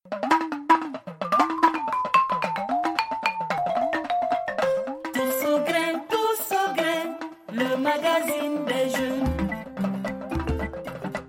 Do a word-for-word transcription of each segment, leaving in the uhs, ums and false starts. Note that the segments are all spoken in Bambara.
Tous au grain, tous au grain, le magazine des jeunes.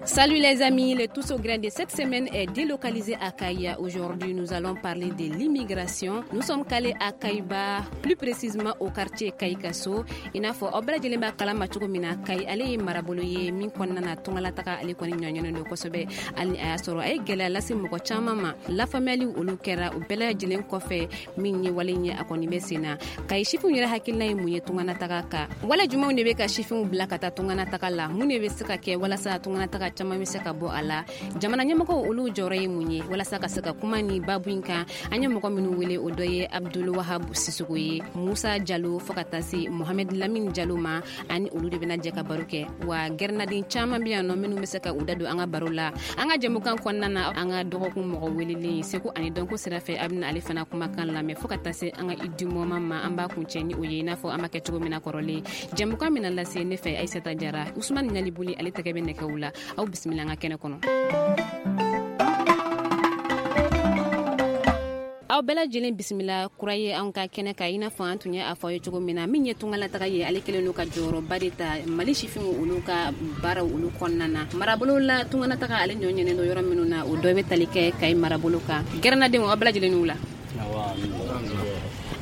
Salut les amis, le Tous au grain de cette semaine est délocalisé à Kaya. Aujourd'hui, nous allons parler de l'immigration. Nous sommes calés à Kayba, plus précisément au quartier Kayikaso. I n'a fɔ aw bɛɛ lajɛlen b'a kalama cogo min na, Kayi ale ye marabolo ye min kɔnɔna na tungalataga ale kɔni ɲɔɲɔnen don kosɛbɛ. Hali a y'a sɔrɔ a ye gɛlɛya lase mɔgɔ caman ma. Lafaamuyali olu kɛra o bɛɛ lajɛlen kɔfɛ, min ye wale ye a kɔni bɛ sen na. Kayi sifinw yɛrɛ hakilina ye mun ye tunganataga kan? Wale jumɛnw de bɛ ka sifinw bila ka taa tunganataga la? Mun de bɛ se ka kɛ walasa tunganataga caman bɛ se ka bɔ a la? Jamana ɲɛmɔgɔw olu jɔyɔrɔ ye mun ye walasa ka se ka kuma ni babu in kan? An ye mɔgɔ minnu wele, o dɔ ye Abdul Wahab Sisoko ye, Musa Jalo, fo ka taa se Mohamed Lamine Jalo ma. Ani olu de bɛna jɛ ka baro kɛ. Wa gɛrɛnaden caman bɛ yan nɔ minnu bɛ se ka u da don an ka baro la an ka jɛmukan kɔnɔna na. An ka dɔgɔkun mɔgɔ welelen, seko ani dɔnko sira fɛ, a bɛna ale fana kumakan lamɛn, fo ka taa se an ka idumɔma ma. An b'a kuncɛ ni o ye, i n'a fɔ an b'a kɛ cogo min na kɔrɔlen. Jɛmukan bɛna lase ne fɛ, Aïssata Jara. Usumani Ɲalibuli ale tɛgɛ bɛ nɛgɛw la. Aw bisimila an ka kɛnɛ kɔnɔ. Aw bɛɛ lajɛlen bisimila kura ye anw ka kɛnɛ kan. I n'a fɔ an tun ye a fɔ aw ye cogo min na, min ye tungalataga ye, ale kɛlen don ka jɔyɔrɔba de ta Mali sifinw olu ka baaraw olu kɔnɔna na. Marabolo la, tungalataga ale ɲɔ ɲɛnen don yɔrɔ minnu na, o dɔ bɛ tali kɛ Kayi marabolo kan. Gɛrɛnadenw, aw bɛɛ lajɛlen n'u la.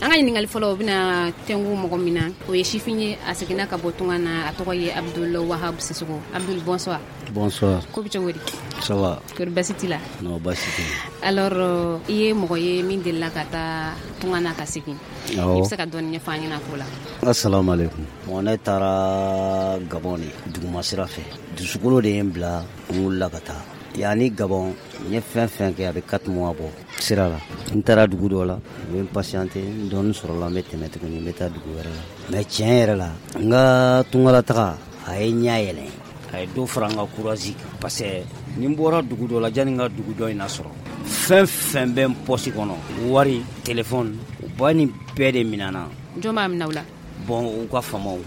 An ka ɲininkali fɔlɔ, o bɛna tɛnku mɔgɔ min na, o ye sifin ye, a seginna ka bɔ tunga na, a tɔgɔ ye Abdul Wahab Sisoko. Abdul, bonsoir. Bonsoir. Ko bɛ cogo di? Ça va. Kori basi t'i la? Non, basi tɛ. Alors, i ye mɔgɔ ye min delila ka taa tunga na ka segin. Awɔ. I bɛ se ka dɔɔni ɲɛfɔ an ɲɛna ko la? Assalamu alaikum. Bon, ne taara Gabon de duguma sira fɛ. Dusukolo de ye n bila, n wulila ka taa. Yanni Gabon, n ye fɛn fɛn kɛ, a bɛ quatre mois bɔ sira la. N taara dugu dɔ la, n bɛ n patienter, n dɔɔni sɔrɔla, n bɛ tɛmɛ tuguni, n bɛ taa dugu wɛrɛ la. Mais tiɲɛ yɛrɛ la, n ka tungalataga a ye ɲɛ yɛlɛ. A ye dɔ fara n ka courage kan, parce que ni n bɔra dugu dɔ la, janni n ka dugu dɔ in lasɔrɔ, fɛn fɛn bɛ n poche kɔnɔ, wari, téléphone, u b'a nin bɛɛ de minɛ n na. Jɔn b'a minɛ u la? Bon, u ka faamaw.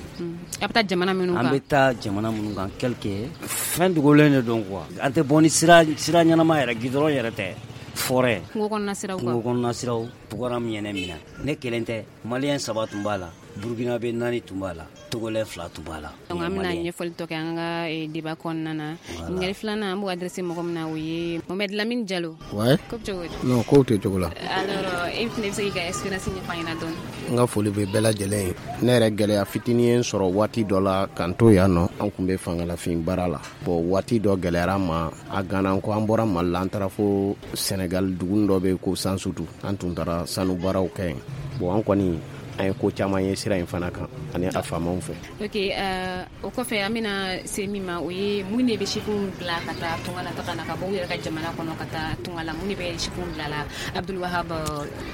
A bɛ taa jamana minnu kan? An bɛ taa jamana minnu kan, quelque fɛn dogolen de don quoi. An tɛ bɔ ni sira sira ɲɛnama yɛrɛ, goudron yɛrɛ tɛ, forêt. Kungo kɔnɔna siraw kan. Kungo kɔnɔna siraw, Boko ye ne minɛ. Ne kelen tɛ, Malien saba tun b'a la, Burkinabé naani tun b'a la, Togolais fila tun b'a la. Donc an bɛna ɲɛfɔli tɔ kɛ an ka débat kɔnɔna na. Ɲininkali filanan, an b'o adressé mɔgɔ min na, o ye Mohamed Lamine Jalo. Ouais. Ko bɛ cogo di? Non, kow tɛ cogo la. Alors, e fana bɛ se k'i ka expérience ɲɛfɔ an ɲɛna dɔɔni? N ka foli bɛ bɛɛ lajɛlen ye. Ne yɛrɛ, gɛlɛya fitinin ye n sɔrɔ waati dɔ la k'an to yan nɔ. An tun bɛ fangalafin baara la. Bon, waati dɔ gɛlɛyara an ma, a ganna ko an bɔra Mali la, an taara fo Sénégal, dugu dɔ bɛ yen ko Sansutu. An tun taara sanu baaraw kɛ yen. Bon, an kɔni an ye ko caman ye sira in fana kan ani a faamaw fɛ. Ok, uh, o kɔfɛ, an bɛna se min ma, o ye mun de bɛ sifinw bila ka taa tunga la taga na, ka bɔ u yɛrɛ ka jamana kɔnɔ ka taa tunga la? Mun de bɛ sifinw bila la, Abdul Wahab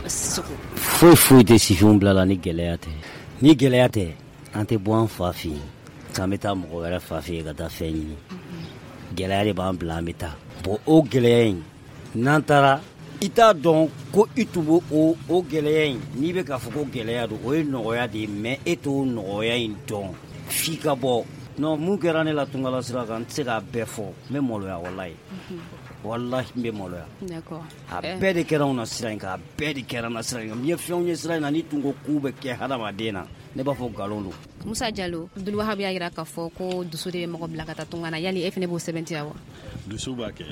Sisoko? Foyi foyi tɛ sifinw bila la ni gɛlɛya tɛ. Ni gɛlɛya tɛ, an tɛ bɔ an fa fɛ yen k'an bɛ taa mɔgɔ wɛrɛ fa fɛ yen ka taa fɛn ɲini. Gɛlɛya de b'an bila an bɛ taa. Bon, o gɛlɛya in, n'an taara, i t'a dɔn ko i tun b'o o o gɛlɛya in, n'i bɛ k'a fɔ ko gɛlɛya don, o ye nɔgɔya de ye, mais e t'o nɔgɔya in dɔn f'i ka bɔ. Non, mun kɛra ne la tungala sira kan, n tɛ se k'a bɛɛ fɔ, n bɛ maloya, walayi, walahi, n bɛ maloya. D'accord. A bɛɛ de kɛra anw na sira in kan, a bɛɛ de kɛra n na sira in kan. N ye fɛnw ye sira in na, ni tun ko k'u bɛ kɛ hadamaden na, ne b'a fɔ nkalon don. Musa Jalo, Abdul Wahab y'a jira k'a fɔ ko dusu de bɛ mɔgɔ bila ka taa tunga na. Yali e fana b'o sɛbɛntiya wa? Dusu b'a kɛ,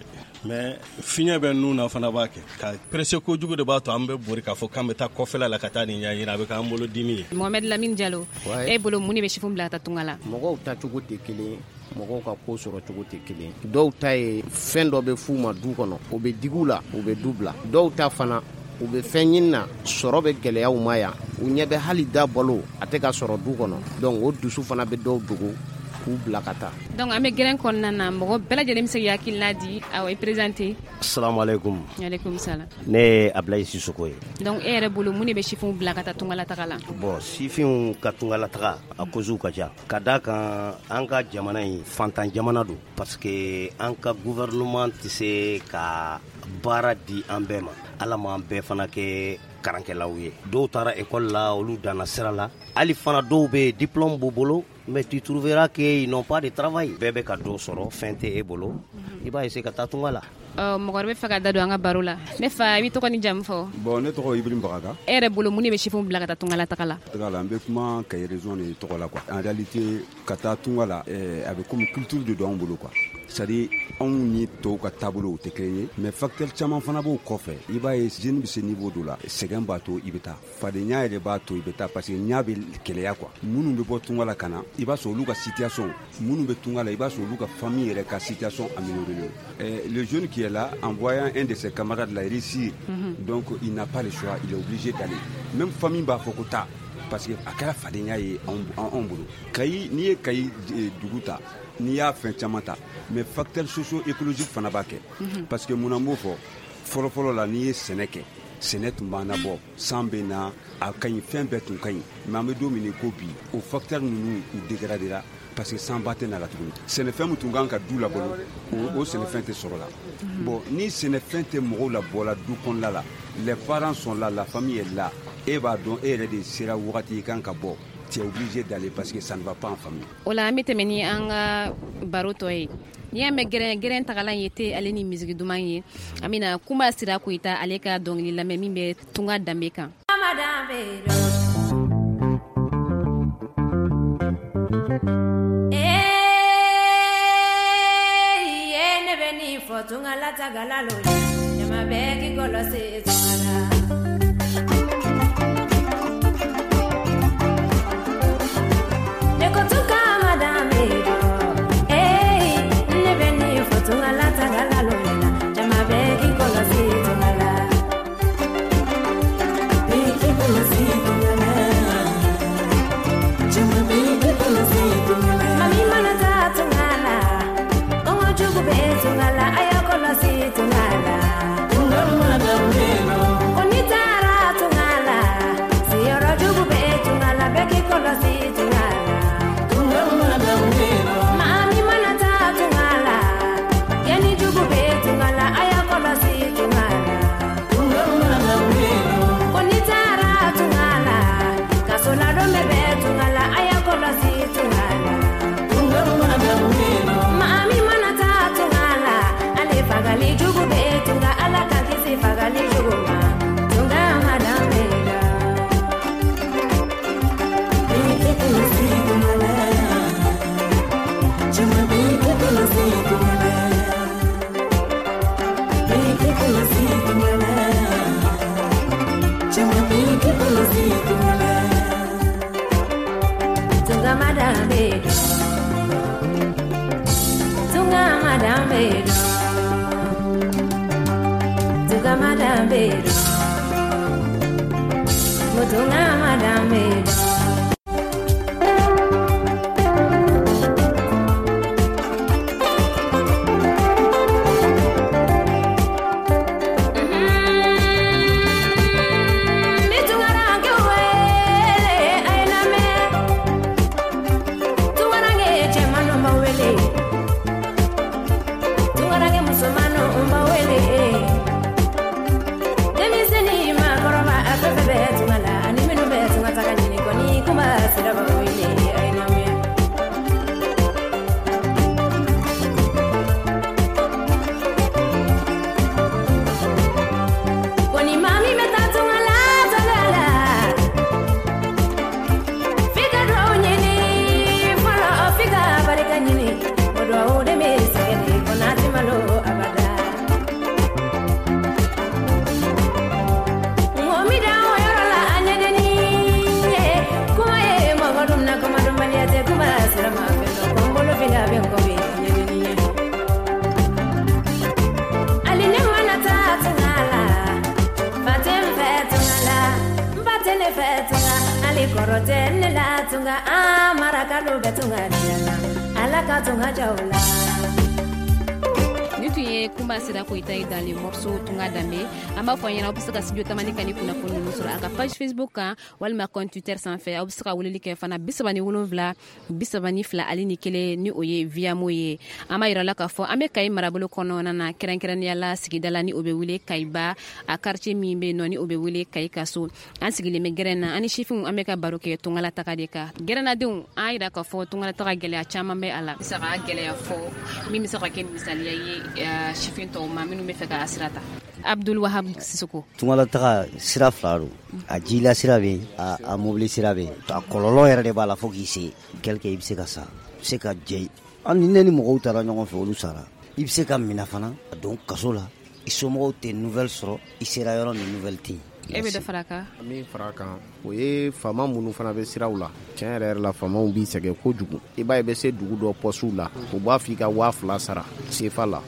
mais fiɲɛ bɛ nun na fana b'a kɛ. Ka pressé kojugu de b'a to an bɛ bori k'a fɔ k'an bɛ taa kɔfɛla la ka taa nin ɲɛɲini, a bɛ k'an bolo dimi ye. Mohamed Lamine Jalo, e bolo, mun de bɛ sifinw bila ka taa tunga la? Mɔgɔw tacogo tɛ kelen, mɔgɔw ka ko sɔrɔ cogo tɛ kelen. Dɔw ta ye fɛn dɔ bɛ f'u ma du kɔnɔ, o bɛ digi u la, u bɛ du bila. Dɔw ta fana, u bɛ fɛn ɲini na, sɔrɔ bɛ gɛlɛya u ma yan, u ɲɛ bɛ hali da balo a tɛ ka sɔrɔ du kɔnɔ. Donc o dusu fana bɛ dɔw dogo k'u bila ka taa. Donc an bɛ gɛrɛn kɔnɔna na, mɔgɔ bɛɛ lajɛlen bɛ se k'i hakilina di. Awɔ, i présenter. Assalamu alaikum. Alaikum salam. Ne ye Ablaye Sisoko ye. Donc e yɛrɛ bolo, mun de bɛ sifinw bila ka taa tungalataga la? Bon, sifinw ka tungalataga, a causes ka ca. Ka d'a kan, an ka jamana in fantan jamana don, parce que an ka gouvernement tɛ se ka baara di an bɛɛ ma. Ala m'an bɛɛ fana kɛ karankɛlaw ye. Dɔw taara école la, olu danna sira la. Hali fana dɔw bɛ yen, diplôme b'u bolo, mais tu trouveras qu'ils n'ont pas de travail. Bɛɛ bɛ ka dɔ sɔrɔ, fɛn tɛ e bolo, i b'a essayer ka taa tunga la. Ɔ mɔgɔ wɛrɛ bɛ fɛ ka da don an ka baro la. Ne fa, i b'i tɔgɔ ni jamu fɔ? Bon, ne tɔgɔ Ibrahim Bagaga. E yɛrɛ bolo, mun de bɛ sifinw bila ka taa tunga la taga la? Taga la, n bɛ kuma Kayi région de tɔgɔ la quoi. En réalité, ka taa tunga la, a bɛ comme culture de don anw bolo quoi. C'est à dire anw ni tɔw ka taabolo o tɛ kelen ye, mais facteur caman fana b'o kɔfɛ. I b'a ye, jeune bɛ se niveau dɔ la, sɛgɛn b'a to i bɛ taa, fadenya yɛrɛ b'a to i bɛ taa, parce que ɲa bɛ kɛlɛya quoi. Minnu bɛ bɔ tunga la ka na, i b'a sɔrɔ olu ka situation, minnu bɛ tunga la, i b'a sɔrɔ olu ka famille yɛrɛ ka situation améliorée. Eh, le jeune qui est là, en voyant un de ses camarades là réussir, mm -hmm. donc il n'a pas le choix, il est obligé d'aller. Même famille b'a fɔ ko taa, parce que a kɛra fadenya ye anw bolo. Kayi, n'i ye Kayi dugu ta, n'i y'a fɛn caman ta, mais facteur socio-écologique fana b'a kɛ, parce que mun na n b'o fɔ? Fɔlɔfɔlɔ la, n'i ye sɛnɛ kɛ, sɛnɛ tun b'an nabɔ, san bɛ na, a ka ɲi, fɛn bɛɛ tun ka ɲi. Mais an bɛ don min ko bi, o facteur ninnu u dégradé ra, parce que sanba tɛ na la tuguni. Sɛnɛfɛn min tun kan ka du labalo, o sɛnɛfɛn tɛ sɔrɔ la. Bon, ni sɛnɛfɛn tɛ mɔgɔw labɔ la du kɔnɔna la, les parents sont là, la famille est là, e b'a dɔn e yɛrɛ de sera wagati i kan ka bɔ, tu es obligé d'aller parce que ça ne va pas en famille. O la, an bɛ tɛmɛ ni an ka baro tɔ ye. N'i y'a mɛn gɛrɛn gɛrɛn tagalan ye te ale ni misigi duman ye, an bɛna Kunba Sira Koyita ale ka dɔnkili lamɛn min bɛ tunga danbe kan. Ne bɛ nin fɔ tunga la tagala lo ye, jama bɛɛ k'i kɔlɔsi tunga la. Ne ko tunga ma danbe dɔn, ee ne bɛ nin fɔ tunga la tagala lo ye la, jama bɛɛ k'i kɔlɔsi tunga la. Bɛɛ k'i kɔlɔsi tunga la, jama bɛɛ k'i kɔlɔsi tunga la. Mami mana taa tunga la, kɔngɔ jugu bɛ tunga la, a y'a kɔlɔsi tunga la. Tunga ma danbe dɔn. Ko n'i taara tunga la, siyɔrɔ jugu bɛ tunga la, bɛɛ k'i kɔlɔsi tunga la. Mami mana taa tunga la, yanni jugu bɛ tunga la, a y'a kɔlɔsi tunga la. Ko n'i taara tunga la, kasoladon bɛ bɛ tunga la, a y'a kɔlɔsi tunga la. Mami mana taa tunga la, ale fagali jugu bɛ tunga, Ala ka kisi fagali jugu ma. Tunga ma danbe la. Bɛɛ k'i kɔlɔsi tunga la. Jama bɛɛ k'i kɔlɔsi tunga la. Bɛɛ k'i kɔlɔsi tunga la. Jama bɛɛ k'i kɔlɔsi tunga la. Tunga ma danbe dɔn. Tunga ma danbe dɔn. Tunga ma danbe dɔn. Tunga ma danbe dɔn. Ni tun ye Kunba Sira Koyita ye dans le morceau Tunga Danbe. An b'a fɔ ɲɛna, aw bɛ se ka studio Tamani ka ni kunnafoni ninnu sɔrɔ a ka page Facebook kan walima compte Twitter sanfɛ. Aw bɛ se ka weleli kɛ fana bi saba ni wolonwula bi saba ni fila ale ni kelen, ni o ye Viamo ye. An b'a yira la k'a fɔ an bɛ Kayi marabolo kɔnɔna na, kɛrɛnkɛrɛnnenya la sigida la ni o bɛ wele Kayiba, a quartier min bɛ yen nɔ ni o bɛ wele Kayi Kaso. An sigilen bɛ gɛrɛn na, an ni sifinw an bɛ ka baro kɛ tungalataga de kan. Gɛrɛnnadenw, an yira k'a fɔ tungalataga gɛlɛya caman bɛ a la. Bɛ se ka gɛlɛya fɔ min bɛ se ka kɛ misaliya ye sifin tɔw ma minnu bɛ fɛ ka sira ta? Abdul Wahab Sissoko. Tungalataga sira fila don, a jila sira bɛ yen, a, a mobili sira bɛ yen. A kɔlɔlɔ yɛrɛ de b'a la fo k'i se quelque i bɛ se ka sa, i bɛ se ka jɛ. Hali ni ne ni mɔgɔw taara ɲɔgɔn fɛ, olu sara. I bɛ se ka minɛ fana ka don kaso la, i somɔgɔw tɛ nouvelle sɔrɔ, i sera yɔrɔ min nouvelle tɛ yen. E bɛ dɔ fara a kan? Min fara a kan, o ye faama minnu fana bɛ siraw la. Tiɲɛ yɛrɛ yɛrɛ la, faamaw b'i sɛgɛn kojugu. I b'a ye i bɛ se dugu dɔ pɔsiw la, u b'a fɔ i ka waa fila sara sefa la.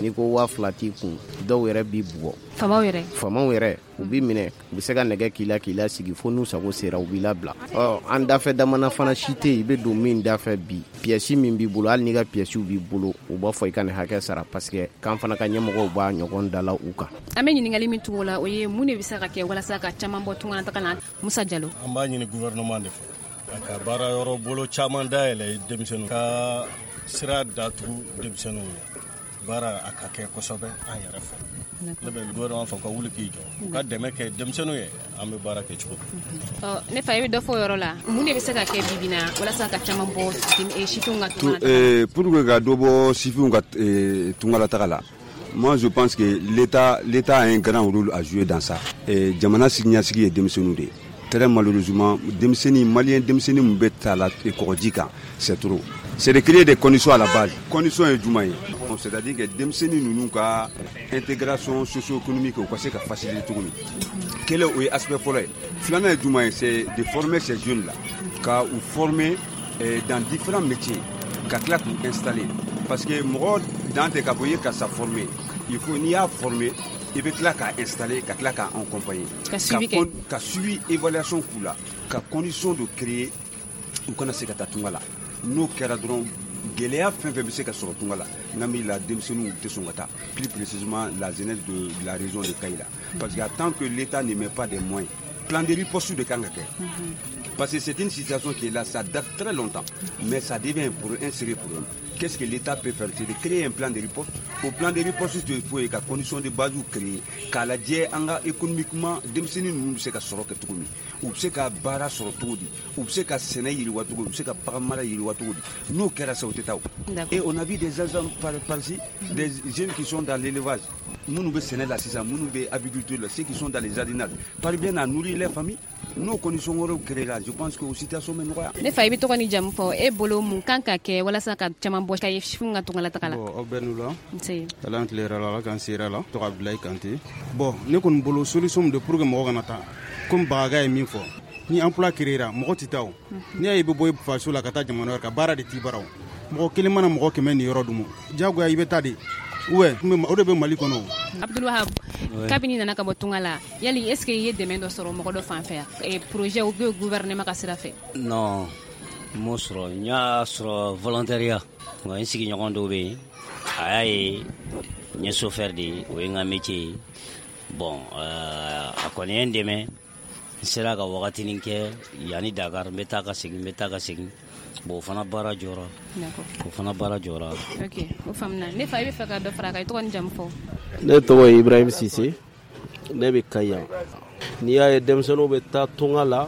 N'i ko waa fila t'i kun, dɔw yɛrɛ b'i bugɔ. Faamaw yɛrɛ? Faamaw yɛrɛ, u b'i minɛ, u bɛ se ka nɛgɛ k'i la k'i lasigi fo n'u sago sera, u b'i labila. Ɔ an dafɛ damana fana si tɛ yen, i bɛ don min dafɛ bi, pièce min b'i bolo, hali n'i ka pièces b'i bolo, u b'a fɔ i ka nin hakɛ sara parce que k'an fana ka ɲɛmɔgɔw b'a ɲɔgɔn dala u kan. An bɛ ɲininkali min tugu o la, o ye mun de bɛ se ka kɛ walasa ka caman bɔ tungalataga la? Musa Jalo. An b'a ɲini gouvernement de fɛ a ka baara yɔrɔ bolo caman dayɛlɛ denmisɛnninw ka sira datugu denmisɛnninw ye. Baara a ka kɛ kosɛbɛ an yɛrɛ fɛ. Ne bɛ gouvernement fɔ ka wuli k'i jɔ, u ka dɛmɛ kɛ denmisɛnninw ye, an bɛ baara kɛ cogo min. Ne fa, i bɛ dɔ fɔ o yɔrɔ la, mun de bɛ se ka kɛ bi bi in na walasa ka caman bɔ sifinw ka tungalataga la? Pour que ka dɔ bɔ sifinw ka tungalataga la, moi je pense que l'État l'État a un grand rôle à jouer dans ça. Jamana siniɲɛsigi ye denmisɛnninw de ye. Très malheureusement, denmisɛnnin malien denmisɛnnin min bɛ taa la kɔgɔji kan, c'est trop. C'est de créer des conditions à la base. Conditions ye jumɛn ye? C'est-à-dire que denmisɛnnin ninnu ka intégration socio-économique u ka se ka faciliter cogo min. Kelen o ye aspect fɔlɔ ye. Filanan ye jumɛn ye? C'est de former ces jeunes là, ka u former dans différents métiers, ka tila k'u installer. Parce que mɔgɔ dan tɛ k'a fɔ i ye karisa former. Il faut n'i y'a former, i bɛ tila k'a installer, ka tila k'a accompagner. Ka suivi kɛ. Ka suivi évaluation k'u la, ka condition de créer u kana se ka taa tunga la. N'o kɛra dɔrɔn, gɛlɛya fɛn fɛn bɛ se ka sɔrɔ tunga la, n'an b'i la denmisɛnninw tɛ sɔn ka taa, plus précisément la jeunesse de, de la région de Kayes la. Parce que tant que l'État ne met pas des moyens, plan de riposte de kan ka kɛ. Parce que c'est une situation qui est là, ça date très longtemps, mais ça devient pour un sérieux problème. Qu'est-ce que l'État peut faire? C'est de créer un plan de riposte. Au plan de riposte, il faut que condition de base créer, k'a lajɛ an ka économiquement denmisɛnnin ninnu bɛ se ka sɔrɔ kɛ cogo min, u bɛ se ka baara sɔrɔ cogo di, u bɛ se ka sɛnɛ yiriwa cogo di, u bɛ se ka bagan mara yiriwa cogo di. N'o kɛra sa, o tɛ taa o. Et on a vu des exemples par, par-ci, des jeunes qui sont dans l'élevage, minnu bɛ sɛnɛ la sisan, minnu bɛ apiculture la, ceux qui sont dans les jardinages, parviennent à nourrir les familles. N'o conditions wɛrɛw créer la, je pense que o situation bɛ nɔgɔya. Ne fa, i bɛ tɔgɔ ni jamu fɔ, e bolo mun kan ka kɛ walasa ka caman bɔ ka ye sifinw ka tungalataga la? Bon, aw bɛɛ n'u la. Nse. Ala an tile yɛrɛ la, Ala k'an se yɛrɛ la. Tɔgɔ Abdoulaye Kante. Bon, ne kɔni bolo solution min de pour que mɔgɔ kana taa, komi Bagaga ye min fɔ, ni emploi créer ra, mɔgɔ tɛ taa o. N'i y'a ye i bɛ bɔ i faso la ka taa jamana wɛrɛ kan, baara de t'i bara o. Mɔgɔ kelen mana mɔgɔ kɛmɛ ni yɔrɔ dun, diyagoya i bɛ taa de. Ouais, o de bɛ Mali kɔnɔ. Abdul Wahab, kabini nana ka bɔ tunga la, yali est-ce que i ye dɛmɛ dɔ sɔrɔ mɔgɔ dɔ fan fɛ yan, projet ou bien gouvernement ka sira fɛ? Non, n m'o sɔrɔ. N y'a sɔrɔ volontariat. Nka n sigiɲɔgɔn dɔw bɛ yen, a y'a ye n ye chauffeur de ye, o ye n ka métier ye. Bon, euh, a kɔni ye n dɛmɛ. N sera ka wagatinin kɛ yanni Dakar, n bɛ taa ka segin, n bɛ taa ka segin. Bon, o fana baara jɔra. O fana baara jɔra. Ok, o faamuna. Ne fa, i bɛ fɛ ka dɔ fara a kan, i tɔgɔ ni jamu fɔ? Ne tɔgɔ ye Ibrahim Sise, ne bɛ Kayi yan. N'i y'a ye denmisɛnninw bɛ taa tunga la,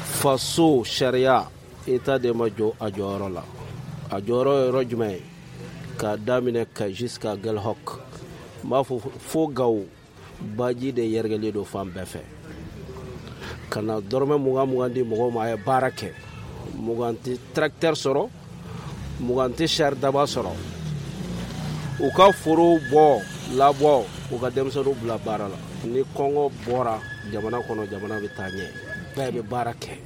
faso sariya État de ma jɔ a jɔyɔrɔ la. A jɔyɔrɔ ye yɔrɔ jumɛn ye? K'a daminɛ Kayi jusqu'à Aguelhok. N b'a fɔ fo Gawo, baji de yɛrɛkɛlen don fan bɛɛ fɛ. Ka na dɔrɔmɛ mugan mugan di mɔgɔw ma, a ye baara kɛ. Mugan tɛ tracteur sɔrɔ, mugan tɛ sari daba sɔrɔ. U ka forow bɔ labɔ, u ka denmisɛnninw bila baara la. Ni kɔngɔ bɔra jamana kɔnɔ, jamana bɛ taa ɲɛ, bɛɛ bɛ baara kɛ.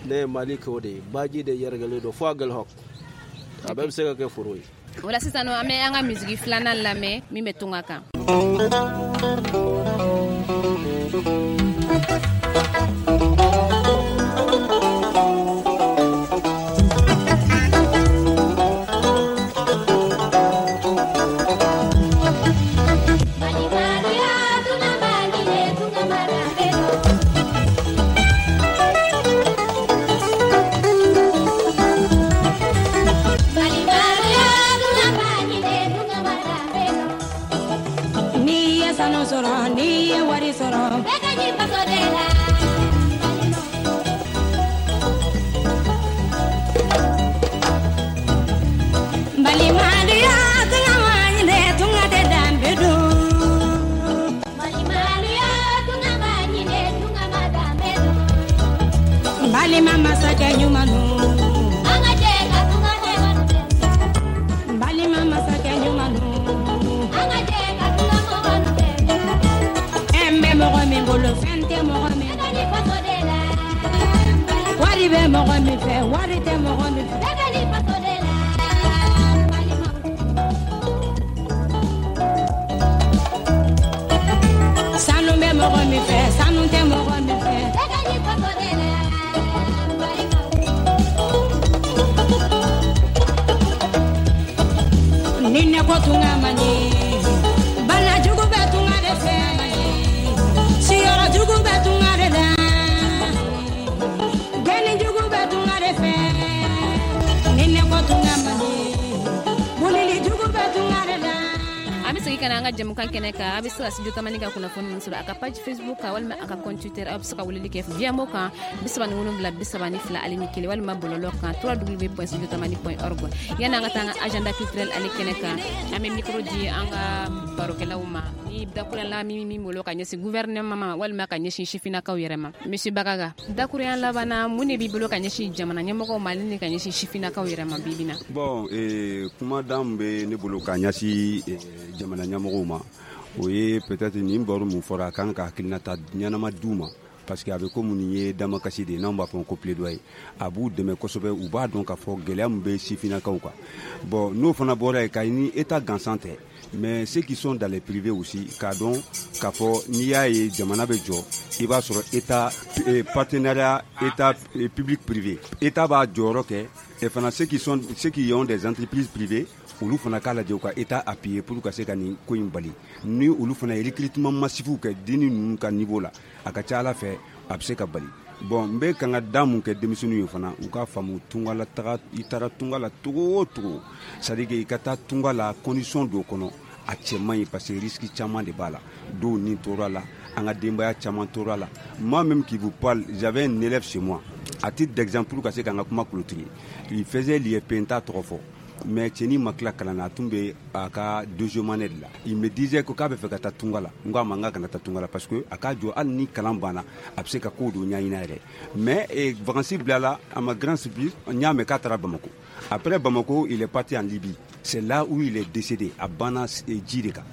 Ne ye Mali kɛ o de ye, baji de yɛrɛkɛlen don fo Aguelhok. A bɛɛ bɛ se ka kɛ foro ye. O la sisan nɔ, an bɛ an ka misigi filanan lamɛn min bɛ tunga kan. Balimadenya Balima masakɛ ɲuman an ka jɛ ka tunga mɔgɔw dɛmɛ. Balima masakɛ ɲuman an ka jɛ ka tunga mɔgɔw dɛmɛ. Fɛn bɛ mɔgɔ min bolo fɛn tɛ mɔgɔ min bolo. Bɛɛ faso de la. Wari bɛ mɔgɔ min fɛ wari tɛ mɔgɔ min fɛ. Bɛɛ faso de la. Sanu bɛ mɔgɔ min fɛ sanu tɛ mɔgɔ min fɛ. Bɛɛ faso de la. Ni ne ko tunga man ɲi bana jugu bɛ tunga de fɛ siyɔrɔ jugu bɛ tunga de la gɛnni jugu bɛ tunga de fɛ ni ne ko tunga man ɲi bulili jugu bɛ tunga de la. An bɛ segin ka na an ka jɛmukan kɛnɛ kan. A bɛ se ka Studio Tamani ka kunnafoni ninnu sɔrɔ a ka page Facebook kan walima a ka compte Twitter. Aw bɛ se ka weleli kɛ via mo kan bi saba ni wolonwula bi saba ni fila ale ni kelen walima bɔlɔlɔ kan w w w point studio tamani point org. Yanni an ka taa an ka agenda culturel ale kɛnɛ kan, an bɛ micro di an ka barokɛlaw ma ni dakurunya la min min bolo ka ɲɛsin gouvernement ma walima ka ɲɛsin sifinnakaw yɛrɛ ma. Monsieur Bagaga, dakurunya laban na mun de b'i bolo ka ɲɛsin jamana ɲɛmɔgɔw ma ale ni ka ɲɛsin sifinnakaw yɛrɛ ma bi bi in na? Bon, eh, kumadan min bɛ ne bolo ka ɲɛsin eh, jamana ɲɛmɔgɔw ma, o ye peut-être nin baro mun fɔra a kan ka hakilinata ɲɛnama d'u ma, parce que a bɛ komi nin ye damakasi de ye n'anw b'a fɔ ko plaidoyer. A b'u dɛmɛ kosɛbɛ, u b'a dɔn k'a fɔ gɛlɛya min bɛ sifinnakaw kan. Bon, n'o fana bɔra yen, ka ni état gansan tɛ, mais ceux qui sont dans les privés aussi, k'a dɔn k'a fɔ n'i y'a ye jamana bɛ jɔ, i b'a sɔrɔ état eh, partenariat état eh, public privé, état b'a jɔyɔrɔ kɛ, et fana ceux qui sont ceux qui ont des entreprises privées, olu fana k'a lajɛ u ka état appuyer pour ka se ka nin ko in bali. Ni olu fana ye recrutement massif kɛ denni ninnu ka niveau la, a ka ca Ala fɛ a bɛ se ka bali. Bon, n bɛ kan ka da mun kɛ denmisɛnninw ye fana, u k'a faamu tunga la taga, i taara tunga la togo o togo, c'est à dire que i ka taa tunga la condition dɔ kɔnɔ a cɛ man ɲi, parce que risque caman de b'a la. Dɔw ni tora la, an ka denbaya caman tora la. Moi même qui vous parle, j'avais un élève chez moi, à titre d'exemple ka se k'an ka kuma clôturer, il faisait l'I F P, n t'a tɔgɔ fɔ, mais cɛnin ma tila kalan na, a tun bɛ a ka deuxième année de la. Il me disait ko k'a bɛ fɛ ka taa tunga la. N ko a ma n k'a kana taa tunga la, parce que a k'a jɔ hali ni kalan banna a bɛ se ka ko dɔ ɲɛɲini a yɛrɛ. Mais eh, vacances bilala, à ma grande surprise, n y'a mɛn k'a taara Bamako. Après Bamako, il est parti en Libye. C'est là où il est décédé, à Bana ji de kan.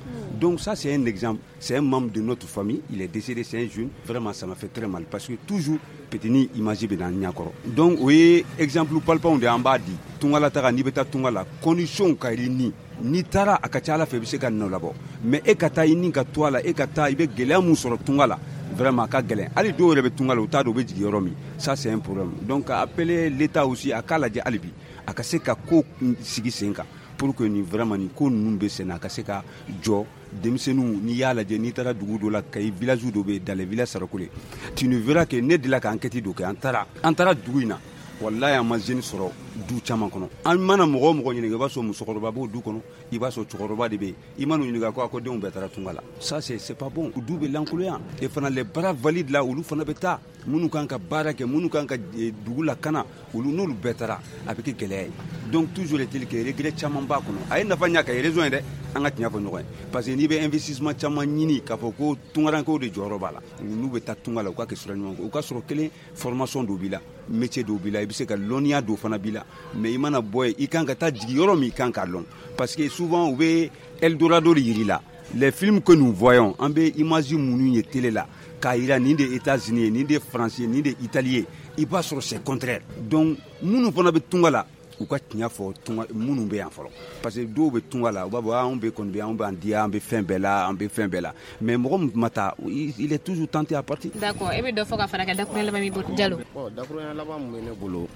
Donc ça, c'est un exemple. C'est un membre de notre famille, il est décédé, c'est un jeune. Vraiment, ça m'a fait très mal, parce que toujours, petini image bɛ na n ɲɛ kɔrɔ. Donc o ye exemple palpanw de an b'a di. Tunga la taga, n'i bɛ taa tunga la, condition ka i ni n'i taara a ka ca Ala fɛ i bɛ se ka nɔ labɔ, mais e ka taa i ni ka to a la, e ka taa i bɛ gɛlɛya mun sɔrɔ tunga la, vraiment a ka gɛlɛn. Hali dɔw yɛrɛ bɛ tunga la, u t'a dɔn u bɛ jigin yɔrɔ min. Ça, c'est un problème. Donc appeler l'État aussi, a k'a lajɛ hali bi a ka se ka ko sigi sen kan pour que nin vraiment nin ko ninnu bɛ sen na, a ka se ka jɔ. Denmisɛnninw, n'i y'a lajɛ, n'i taara dugu dɔ la, Kayi village dɔ bɛ yen, dans les villages Sarakole, tu ne verras que ne delila ka enquête dɔ kɛ, an taara an taara dugu in na, walahi an ma jeune sɔrɔ du caman kɔnɔ. An mana mɔgɔ o mɔgɔ ɲininka, i b'a sɔrɔ musokɔrɔba b'o du kɔnɔ, i b'a sɔrɔ cɛkɔrɔba de bɛ yen. I mana ɲininka ko a ko denw bɛɛ taara tunga la. Ça, c'est c'est pas bon. Du bɛ lankolonya. Et fana les bras valides la, olu fana bɛ taa, minnu kan ka baara kɛ, minnu kan ka dugu lakana, olu n'olu bɛɛ taara, a bɛ kɛ gɛlɛya ye. Donc toujours est-il que regret caman b'a kɔnɔ. A ye nafa ɲa ka ye raison ye dɛ, an ka tiɲɛ fɔ ɲɔgɔn ye, parce que n'i bɛ investissement caman ɲini k'a fɔ ko tungarankew de jɔyɔrɔ b'a la, n'u bɛ taa tunga la, u ka kɛ sira ɲuman, u ka sɔrɔ kelen formation dɔ b'i la, métier dɔw b'i la, i bɛ se ka lɔnniya dɔw fana b'i la, mais i mana bɔ yen, i kan ka taa jigin yɔrɔ min, i kan k'a lɔn, parce que souvent u bɛ Eldorado de yir'i la. Les films que nous voyons, an bɛ image minnu ye télé la k'a yira nin de États-Unis ye, nin de France ye, nin de Italie ye, i b'a sɔrɔ c'est contraire. Donc minnu fana bɛ tunga la, u ka tiɲɛ fɔ tunga minnu bɛ yan fɔlɔ, parce que dɔw bɛ tunga la, u b'a fɔ anw bɛ kɔni bɛ anw b'an diya, an bɛ fɛn bɛɛ la, an bɛ fɛn bɛɛ la, mais mɔgɔ min ma taa, il est toujours tenté à partir. D'accord, e bɛ dɔ fɔ ka fara kan dakurunya laban min bolo Jalo? Bon, dakurunya laban min bɛ ne bolo,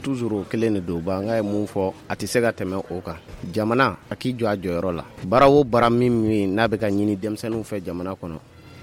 toujours o kelen de don. Ba n ka ye mun fɔ, a tɛ se ka tɛmɛ o kan. Jamana a k'i jɔ a jɔyɔrɔ la. Baara o baara min min n'a bɛ ka ɲini denmisɛnninw fɛ jamana kɔnɔ,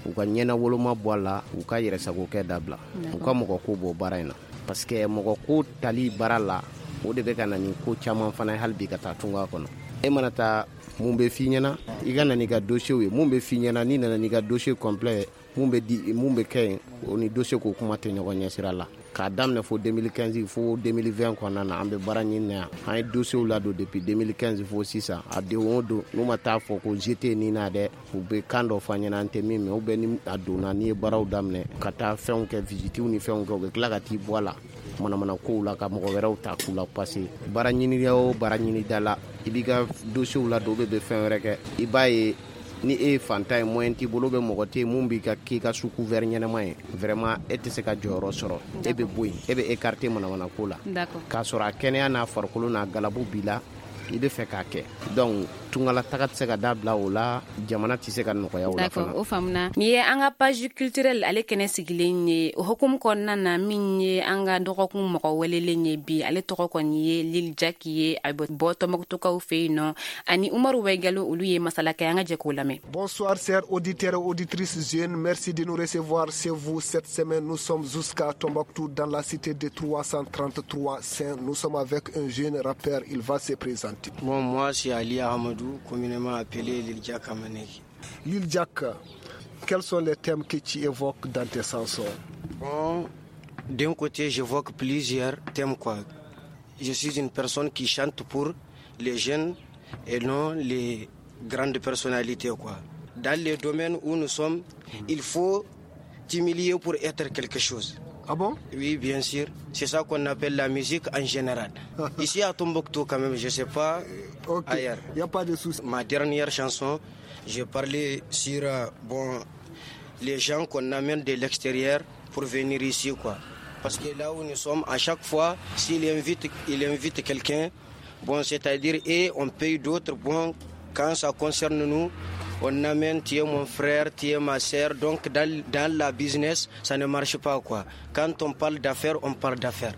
u ka ɲɛna woloma bɔ a la, u ka yɛrɛsagokɛ dabila, u ka mɔgɔ ko bɔ baara in na, parce que mɔgɔ ko tali baara la, o de bɛ ka na ni ko caman fana ye hali bi ka taa tunga kɔnɔ. E mana taa, mun bɛ f'i ɲɛna? I ka na n'i ka dossier ye. Mun bɛ f'i ɲɛna? N'i nana n'i ka dossier complet, mun bɛ di, mun bɛ kɛ yen, o ni dossier ko kuma tɛ ɲɔgɔn ɲɛ sira la. K'a daminɛ fo deux mille quinze fo deux mille vingt kɔnɔna na, an bɛ baara ɲini na yan. An ye dossier ladon depuis deux mille quinze fo sisan. A don o don, n'u ma taa fɔ ko G T ni na dɛ, u bɛ kan dɔ fɔ an ɲɛna, an tɛ min mɛn, ou bien ni a donna, n'i ye baaraw daminɛ ka taa fɛnw kɛ, visitew ni fɛnw kɛ, u bɛ tila ka t'i bɔ a la. manamana kow la ka mɔgɔ wɛrɛw ta k'u la passer. Baara ɲini o baara ɲini da la, i b'i ka dossier la don, bɛ bɛ fɛn wɛrɛ kɛ. I b'a ye ni e ye fantan ye, moyen t'i bolo, bɛ mɔgɔ tɛ yen mun b'i ka k'i ka sous couvert ɲɛnama ye, vraiment e tɛ se ka jɔyɔrɔ sɔrɔ. E bɛ bɔ yen, e bɛ écarter manamana ko la, k'a sɔrɔ a kɛnɛya n'a farikolo n'a galabu b'i la, i bɛ fɛ k'a kɛ. Donc tungala taga tɛ se ka dabila o la, jamana tɛ se ka nɔgɔya o la fana. D'accord, o faamuna. Nin ye an ka page culturelle ale kɛnɛ sigilen ye. O hukumu kɔnɔna na, min ye an ka dɔgɔkun mɔgɔ welelen ye bi, ale tɔgɔ kɔni ye Lil Jack ye, a bɛ bɔ Tɔnbukutukaw fɛ yen nɔ, ani Umaru Wɛgalo, olu ye masala kɛ. An ka jɛ k'o lamɛn. Bonsoir chers auditeurs et auditrices jeunes, merci de nous recevoir chez vous cette semaine. Nous sommes jusqu'à Tombouctou dans la cité de trois cent trente-trois Saints. Nous sommes avec un jeune rappeur, il va se présenter. Bon, moi c'est Ali Ahmadou, communément appelé Lil Jack Amaneki. Lil Jack, quels sont les thèmes que tu évoques dans tes chansons? Bon, d'un côté, j'évoque plusieurs thèmes, quoi. Je suis une personne qui chante pour les jeunes et non les grandes personnalités, quoi. Dans les domaines où nous sommes, il faut t'humilier pour être quelque chose. Ah bon? Oui, bien sûr. C'est ça qu'on appelle la musique en général. Ici à Tombouctou, quand même, je ne sais pas Ok, ailleurs. Il n'y a pas de souci. Ma dernière chanson, j'ai parlé sur euh, bon, les gens qu'on amène de l'extérieur pour venir ici, quoi. Parce que là où nous sommes, à chaque fois, s'il invite, il invite quelqu'un, bon, c'est-à-dire, et on paye d'autres, bon, quand ça concerne nous, on amène, tu es mon frère, tu es ma sœur. Donc, dans, dans la business, ça ne marche pas, quoi. Quand on parle d'affaires, on parle d'affaires.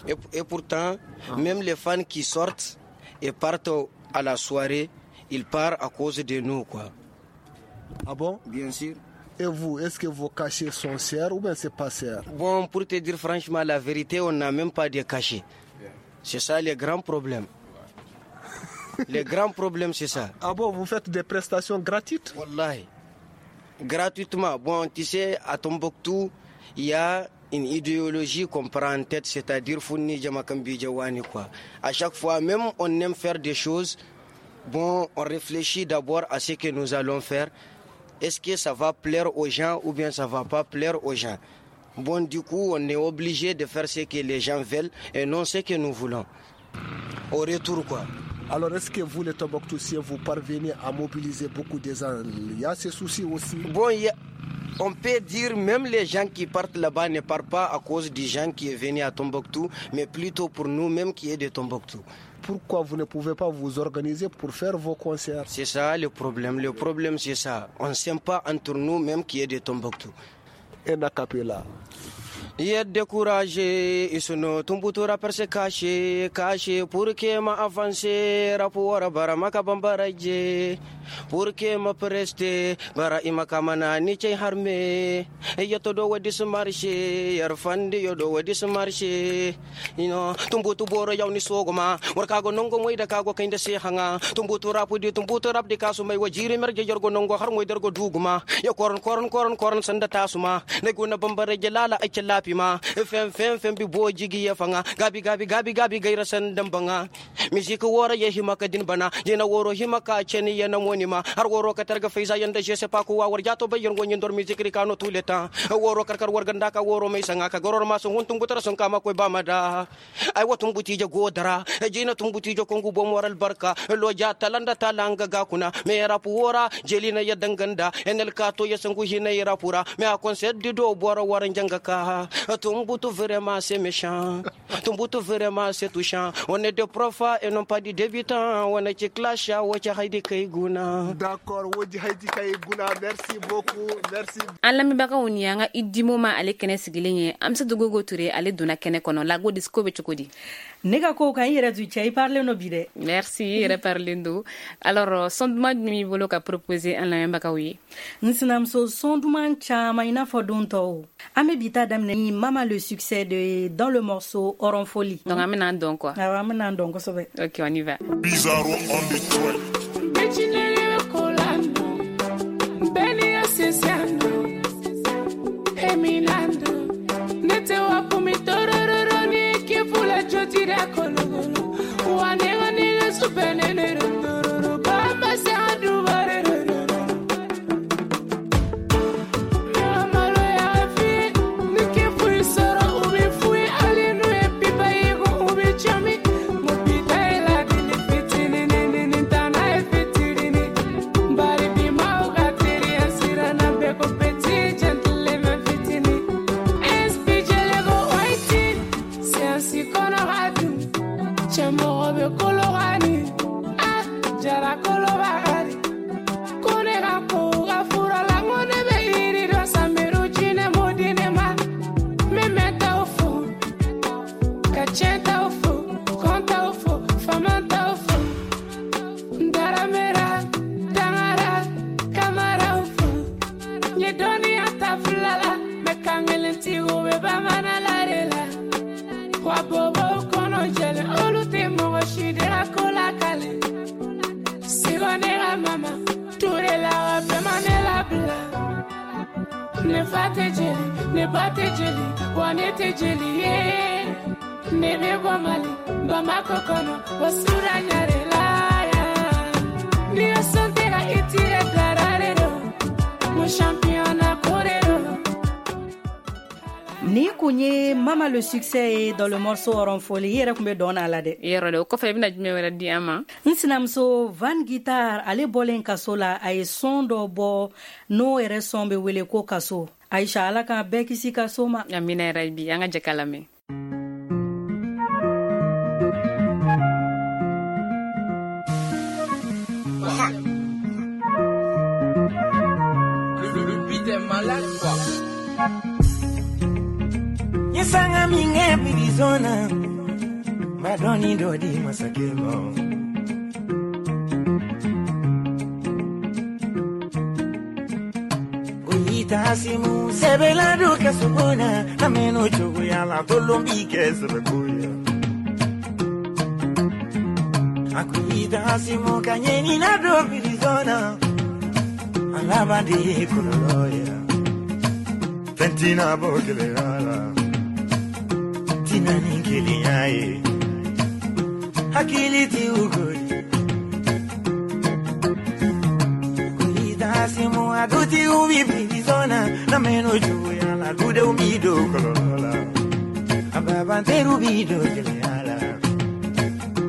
Et, et pourtant, même les fans qui sortent et partent à la soirée, ils partent à cause de nous, quoi. Ah bon? Bien sûr. Et vous, est-ce que vos cachets sont chers ou bien c'est pas cher? Bon, pour te dire franchement la vérité, on n'a même pas de cachets. C'est ça le grand problème. Le grand problème, c'est ça. Ah bon, vous faites des prestations gratuites? Wallahi. Gratuitement. Bon, tu sais, à Tombouctou, il y a une idéologie qu'on prend en tête, c'est-à-dire Founi Jamakambi Jawani, quoi. À chaque fois, même on aime faire des choses, bon, on réfléchit d'abord à ce que nous allons faire. Est-ce que ça va plaire aux gens ou bien ça va pas plaire aux gens? Bon, du coup, on est obligé de faire ce que les gens veulent et non ce que nous voulons. Au retour, quoi. Alors, est-ce que vous, les Tombouctousiens, vous parvenez à mobiliser beaucoup de gens? Il y a ces soucis aussi. Bon, il y a- on peut dire même les gens qui partent là-bas ne partent pas à cause des gens qui est venu à Tombouctou, mais plutôt pour nous-mêmes qui est de Tombouctou. Pourquoi vous ne pouvez pas vous organiser pour faire vos concerts? C'est ça le problème. Le problème, c'est ça. On ne s'aime pas entre nous-mêmes qui est de Tombouctou. Un acapella. Y'a découragé, isuno Tumbutu rappeur se caché, caché pour que ma avancé, rap wara bara maka bambaraje, pour que ma preste, bara imakamana ni chay harme, yato do wadi marché, yar fandi yo do wadi marché, you know, Tumbutu boro yaw ni sogoma, warkago nongo moy da kago kinde se hanga, Tumbutu rap di Tumbutu rap di kasu may wajiri merje jorgo nongo har moy dergo duguma, ya koron koron koron koron sanda tasuma, neguna bambaraje lala ay lapi ma fem fem fem bi bo jigi ya fanga gabi gabi gabi gabi gaira sandan banga musique wora ye himaka din bana jena woro himaka cheni yana monima har woro ka targa faiza yanda je sais pas quoi war jato bayan gonyin dor musique rikano tout le temps woro karkar war ganda ka woro mai sanga ka goror ma sun huntun gutar sun kama koi bamada ai watun buti je godara jina tun buti je kongu bo moral barka lo ja talanda talanga ga kuna me rapu wora jelina ya danganda enel kato ya sangu hina ya rapura me a concert di do bora waran janga ka Tumbutu vraiment c'est méchant. Tumbutu vraiment c'est touchant. On est des profs et non pas des débutants. On est qui clash wa haidi kaiguna. D'accord, Wodi Haidi Kaiguna, merci beaucoup, merci. An lamɛnbagaw, ni y'an ka idimo ma ale kɛnɛ sigilen ye. Amsa Gogo Ture, ale donna kɛnɛ kɔnɔ la disco bɛ cogo di? Ne ka ko kan i yɛrɛ du cɛ, i parlen no bi dɛ. Merci, i yɛrɛ parlen don. Alors, son duman jumɛn b'i bolo ka proposer an lamɛnbagaw ye? N sinamuso, son duman caman i n'a fɔ don tɔw. An bɛ bi ta daminɛ ni Mama le succès de dans le morceau Oron Folie. Donc an bɛna dɔn quoi. Awɔ, an bɛna dɔn kosɛbɛ. Ok, on y va. Bizarro on the track. Emilando, nete wakumitorororo ni kifula chotira kologolo wanega nega supenene rondororo bamba sandu barerero mama lo ya fi ni kifui soro ubi fui. Nye dɔnniya ta fila la mɛ kan kelen tigiw bɛ bamanan la de la. Wa bobow kɔnɔ jɛlen olu tɛ mɔgɔ si de la ko lakale. Sigo ne ka mama Ture la wa bɛɛ ma ne labila. Ne fa tɛ jeli, ne ba tɛ jeli, wa ne tɛ jeli ye. Ne bɛ bɔ Mali, Bamakɔ kɔnɔ, wa sura ɲare la ya. Ni yo sɔn tɛ ka i tire dara de don, mo championnat ko de don. Ni kun ye Mama le succès ye dans le morceau Oronfoli. I yɛrɛ kun bɛ dɔn na la dɛ. Yɔrɔ dɛ, o kɔfɛ i bɛna jumɛn wɛrɛ di an ma? N sinamuso Van Guitar, ale bɔlen kaso la, a ye son dɔ bɔ n'o yɛrɛ son bɛ wele ko kaso. Aisha, Ala k'an bɛɛ kisi kaso ma. Amina yarabi, an ka jɛ k'a lamɛn. Le, le, le beat est malade quoi. Yesanga minge pirizona madoni dodi masakemo Goyita asimu sebela duka subona na meno chuguya la tolombike sebekuya Akuita asimu kanyeni na do pirizona alabadi kuloloya Fentina bokele ala Tina ninkili yae Hakili ti ugori Kuita simu aduti ubi prizona Na meno juya la dude umido kolola Ababa nteru bido kele ala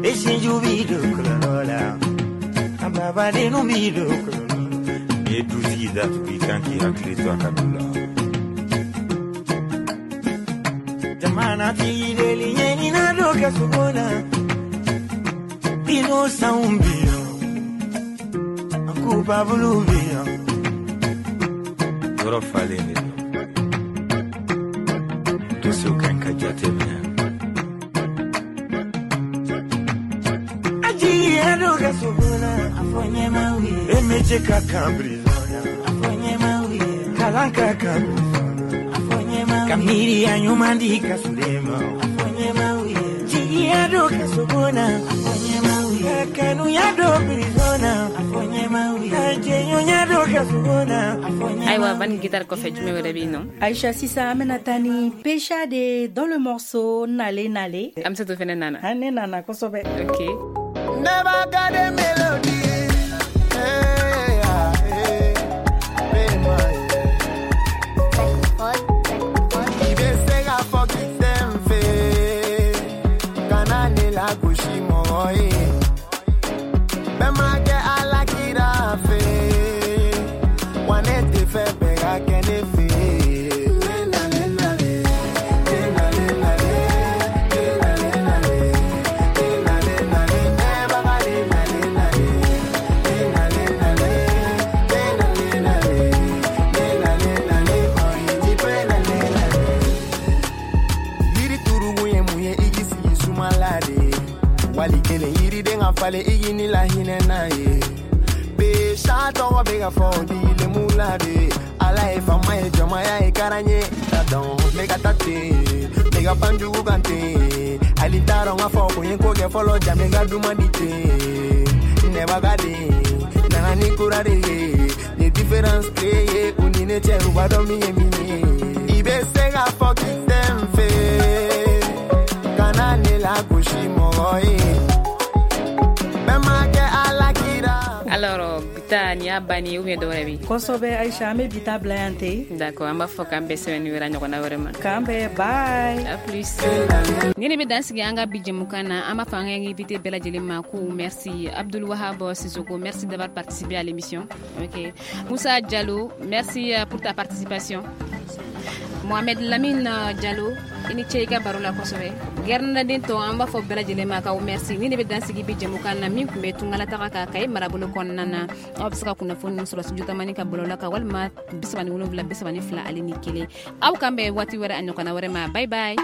Eshinju bido kolola Ababa denu bido kolola Eduzi datu ikanki hakili to akadula Jamana tideli nyeni na doka subona Bino saumbio Akupa bulubio Yɔrɔ falen de don. Dossier ka ɲi ka jateminɛ. Ajiya doka subona Afonye mawi Emeje ka kan prisona Afonye mawi Kalan ka kan prisona Afonye mawi Kamiri ya ɲuman di ka sulema Afonye mawi Jiya doka subona Afonye mawi Kanu ya do prisona Afonye mawi Ajenyo ya doka subona Afonye Ayiwa, Van Guitar kɔfɛ jumɛn wɛrɛ bɛ yen nɔ? Aisha, sisan an bɛna taa ni Pesha de dans le morceau Nale Nale. An bɛ se to fɛnɛ nana. An ne nana kosɛbɛ. Ok. Never got a melody. Hey, ah, hey, hey, my, I bɛ se k'a fɔ k'i tɛ n fɛ, kana ne lagosi mɔgɔ ye. Bɛɛ ma kɛ Ala kira fɛ, wa ne tɛ fɛ bɛɛ ka kɛ ne fɛ. Nale, nale, nale, nale, nale, nale, nale, nale, never nale, nale, nale, nale, nale, nale, nale, nale, oh, ipe nale, nale. Yiri turugu ye mun ye i k'i sigi suma la de. Wali kelen yiriden ka falen i k'i ni lahinɛ n'a ye. Besha tɔgɔ bɛ ka fɔ dilemu la de. Ala ye faama ye jɔnmaya ye karan ye. Ta dɔn ne ka taa ten, ne ka pan jugu kan ten. Hali t'a dɔn k'a fɔ ko n ye ko kɛ fɔlɔ ja n ka duman di ten. Nɛba ka den, nana ni kura de ye. Ni différence créée u ni ne cɛ u b'a dɔn min ye min ye. I bɛ se k'a fɔ k'i tɛ n fɛ, kana ne lagosi mɔgɔ ye. Bɛɛ ma kɛ Ala kira. Alors, Bita, nin y'a banni ye ou bien dɔ wɛrɛ bɛ yen? Kosɛbɛ Aisha, an bɛ bi ta bila yan ten. D'accord, an b'a fɔ k'an bɛn semaine wɛrɛ ɲɔgɔnna wɛrɛ ma. K'an bɛn, bye. À plus. Ni ne bɛ dan sigi an ka bi jɛmukan na, an b'a fɔ an ka invité bɛɛ lajɛlen ma ko merci Abdoul Wahab Sissoko, merci d'avoir participé à l'émission. Ok. Moussa Diallo, merci pour ta participation. Mohamed Lamine Diallo, i ni ce i ka baro la kosɛbɛ. Gɛrɛnaden tɔ an b'a fɔ bɛɛ lajɛlen ma k'aw merci. Ni ne bɛ dan sigi bi jɛmukan na min tun bɛ tungalataga kan Kayi marabolo kɔnɔna na. Aw bɛ se ka kunnafoni sɔrɔ Studio Tamani ka bɔlɔlɔ kan walima bi saba ni wolonwula bi saba ni fila ale ni kelen. Aw k'an bɛn waati wɛrɛ a ɲɔgɔnna wɛrɛ ma. Bye bye.